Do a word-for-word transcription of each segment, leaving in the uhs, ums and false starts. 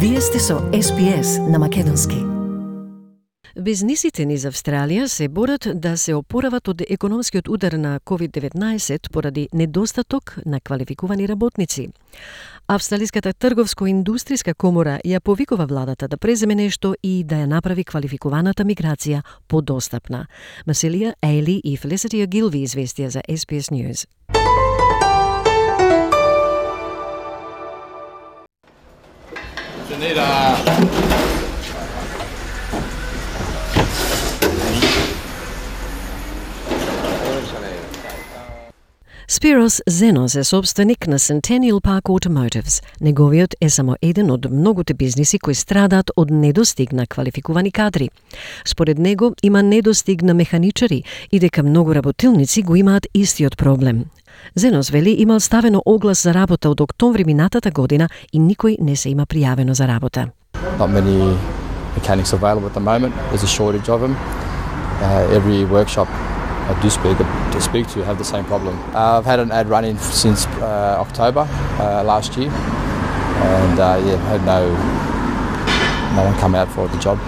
Вие сте со Ес Би Ес на македонски. Бизнисите низ Австралија се борат да се опорават од економскиот удар на ковид деветнаесет поради недостаток на квалификувани работници. Австралиската трговско-индустријска комора ја повикува владата да преземе нешто и да ја направи квалификуваната миграција подостапна. Масилија Ейли и Фелисити Гилви известија за Ес Би Ес News. Spiros Zenos е собственик на Centennial Park Automotives. Неговиот е само еден од многуте бизниси кои страдаат од недостиг на квалификувани кадри. Според него има недостиг на механичари и дека многу работилници го имаат истиот проблем. Зенос вели имал ставено оглас за работа од октомври минатата година и никој не се има пријавено за работа. Not many mechanics available at the moment. There's a shortage of them. Uh, every workshop I do speak to speak to have the same problem. Uh, I've had an ad running since uh, October uh, last year, and uh, yeah, had no no one come out for the job.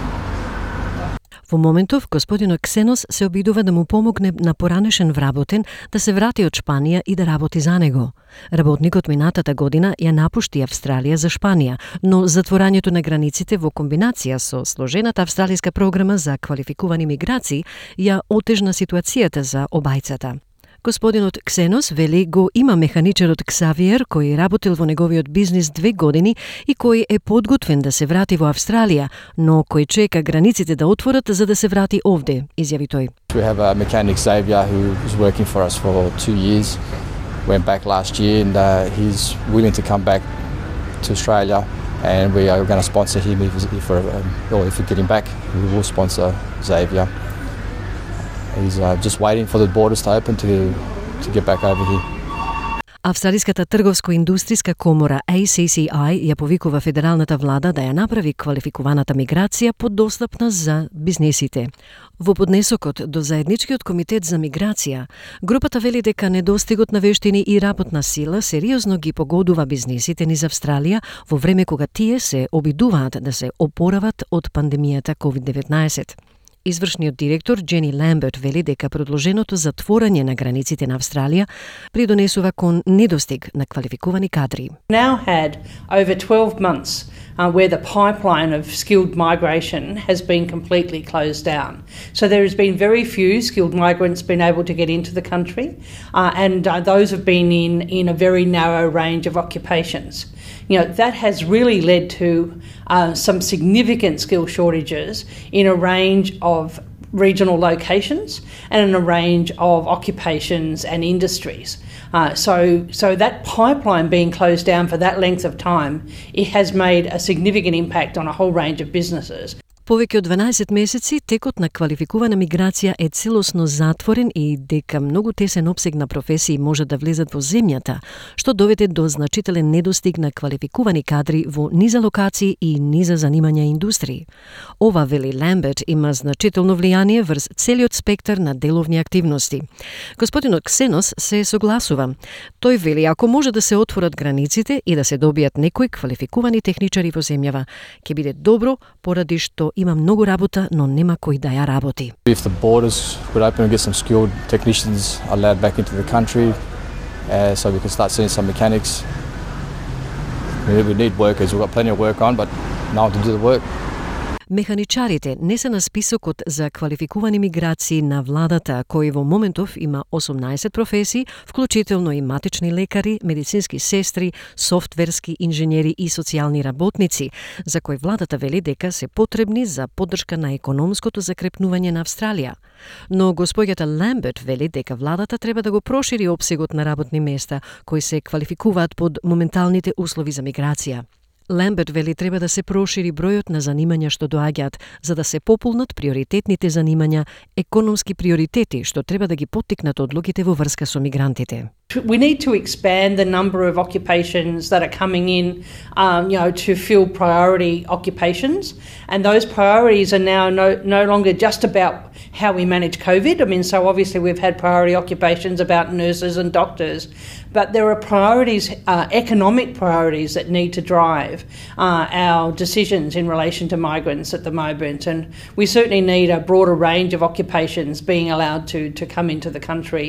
Во моментов, господинот Ксенос се обидува да му помогне на поранешен вработен да се врати од Шпанија и да работи за него. Работникот минатата година ја напушти Австралија за Шпанија, но затворањето на границите во комбинација со сложената австралиска програма за квалификувани миграции ја отежна ситуацијата за обајцата. Господинот Ксенос вели го има механичарот Ксавиер кој работил во неговиот бизнис две години и кој е подготвен да се врати во Австралија, но кој чека границите да отворат за да се врати овде, изјави тој. We have a mechanic Xavier who is working for us for two years. Went back last year and uh, he's willing to come back to Australia, and we are going to sponsor him if, if we're um, or if we get him back. We will sponsor Xavier. He's uh, just waiting for the borders to open to to get back over here. Австралиската трговско-индустријска комора А Си Си Ај ја повикува федералната влада да ја направи квалификуваната миграција подостапна за бизнисите. Во поднесокот до заедничкиот комитет за миграција, групата вели дека недостигот на вештини и работна сила сериозно ги погодува бизнисите низ Австралија во време кога тие се обидуваат да се опорават од пандемијата ковид деветнаесет. Извршниот директор Джени Ламберт вели дека продолженото затворање на границите на Австралија придонесува кон недостиг на квалификувани кадри. Now had over twelve months uh, where the pipeline of skilled migration has been completely closed down. So there has been very few skilled migrants been able to get into the country, uh, and uh, those have been in in a very narrow range of occupations. You know, that has really led to uh, some significant skill shortages in a range of regional locations and in a range of occupations and industries. Uh, so, so that pipeline being closed down for that length of time, it has made a significant impact on a whole range of businesses. Повеќе од дванаесет месеци текот на квалификувана миграција е целосно затворен и дека многу тесен опсег на професии може да влезат во земјата, што доведе до значителен недостиг на квалификувани кадри во низа локации и низа занимања и индустрии. Ова, вели Ламберт, има значително влијание врз целиот спектар на деловни активности. Господинот Ксенос се согласува. Тој вели ако може да се отворат границите и да се добијат некои квалификувани техничари во земјава, ќе биде добро поради што има многу работа, но нема кој да ја работи. If the borders would open and get some skilled technicians allowed back into the country, uh, so we can start seeing some mechanics. We, we need workers. We've got plenty of work on, but no one to do the work. Механичарите не се на списокот за квалификувани миграции на владата, кој во моментов има осумнаесет професии, вклучително и матични лекари, медицински сестри, софтверски инженери и социјални работници, за кои владата вели дека се потребни за поддршка на економското закрепнување на Австралија. Но господјата Ламберт вели дека владата треба да го прошири опсегот на работни места кои се квалификуваат под моменталните услови за миграција. Ламберт вели треба да се прошири бројот на занимања што доаѓаат, за да се пополнат приоритетните занимања, економски приоритети што треба да ги поттикнат одлуките во врска со мигрантите. We need to expand the number of occupations that are coming in, um, you know, to fill priority occupations, and those priorities are now no, no longer just about how we manage COVID. I mean, so obviously we've had priority occupations about nurses and doctors, but there are priorities, uh, economic priorities that need to drive uh, our decisions in relation to migrants at the moment, and we certainly need a broader range of occupations being allowed to to come into the country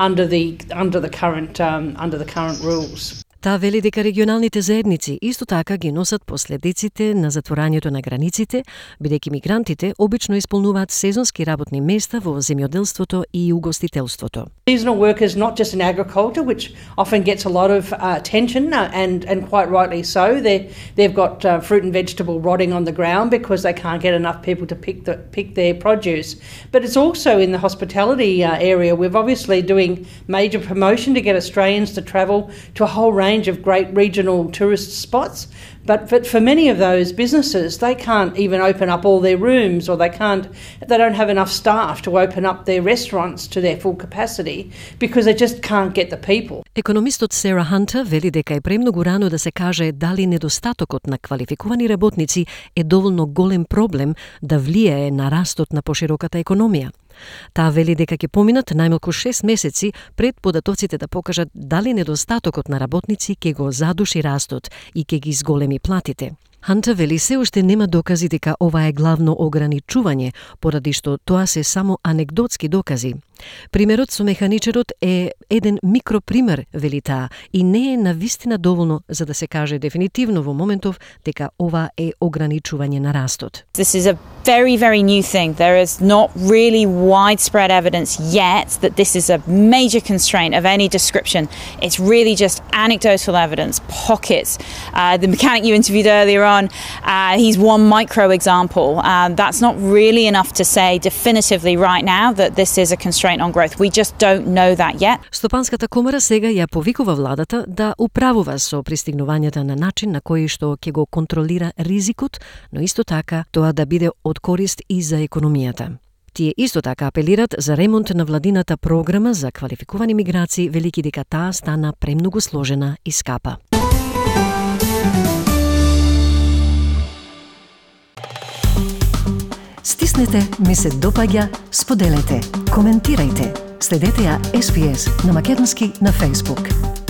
under the under the current um, under the current rules. Таа вели дека регионалните заедници исто така ги носат последиците на затворањето на границите, бидејќи мигрантите обично исполнуваат сезонски работни места во земјоделството и угостителството. Seasonal workers, not just in agriculture, which often gets a lot of uh, attention, uh, and and quite rightly so. They they've got uh, fruit and vegetable rotting on the ground because they can't get enough people to pick the pick their produce. But it's also in the hospitality uh, area. We're obviously doing major promotion to get Australians to travel to a whole range of great regional tourist spots, but, but for many of those businesses, they can't even open up all their rooms, or they can't, they don't have enough staff to open up their restaurants to their full capacity because they just can't get the people. Економистот Сера Хантер вели дека е премногу рано да се каже дали недостатокот на квалификувани работници е доволно голем проблем да влијае на растот на пошироката економија. Таа вели дека ќе поминат најмалку шест месеци пред податоците да покажат дали недостатокот на работници ќе го задуши растот и ќе ги зголеми платите. Хантер вели се уште нема докази дека ова е главно ограничување, поради што тоа се само анегдотски докази. Примерот со механичарот е еден микропример, вели таа, и не е навистина доволно за да се каже дефинитивно во моментов дека ова е ограничување на растот. This is a very, very new thing. There is not really widespread evidence yet that this is a major constraint of any description. It's really just anecdotal evidence, pockets. Uh, the mechanic you interviewed earlier on, uh, he's one micro example. Um, that's not really enough to say definitively right now that this is a constraint on growth. We just don't know that yet. Стопанската комора сега ја повикува владата да управува со пристигнувањата на начин на кој што ќе го контролира ризикот, но исто така тоа да биде од корист и за економијата. Тие исто така апелират за ремонт на владината програма за квалификувани миграции, велики дека таа стана премногу сложена и скапа. Стиснете, ми се допаѓа, споделете, коментирајте. Следете ја Ес Би Ес на македонски на Facebook.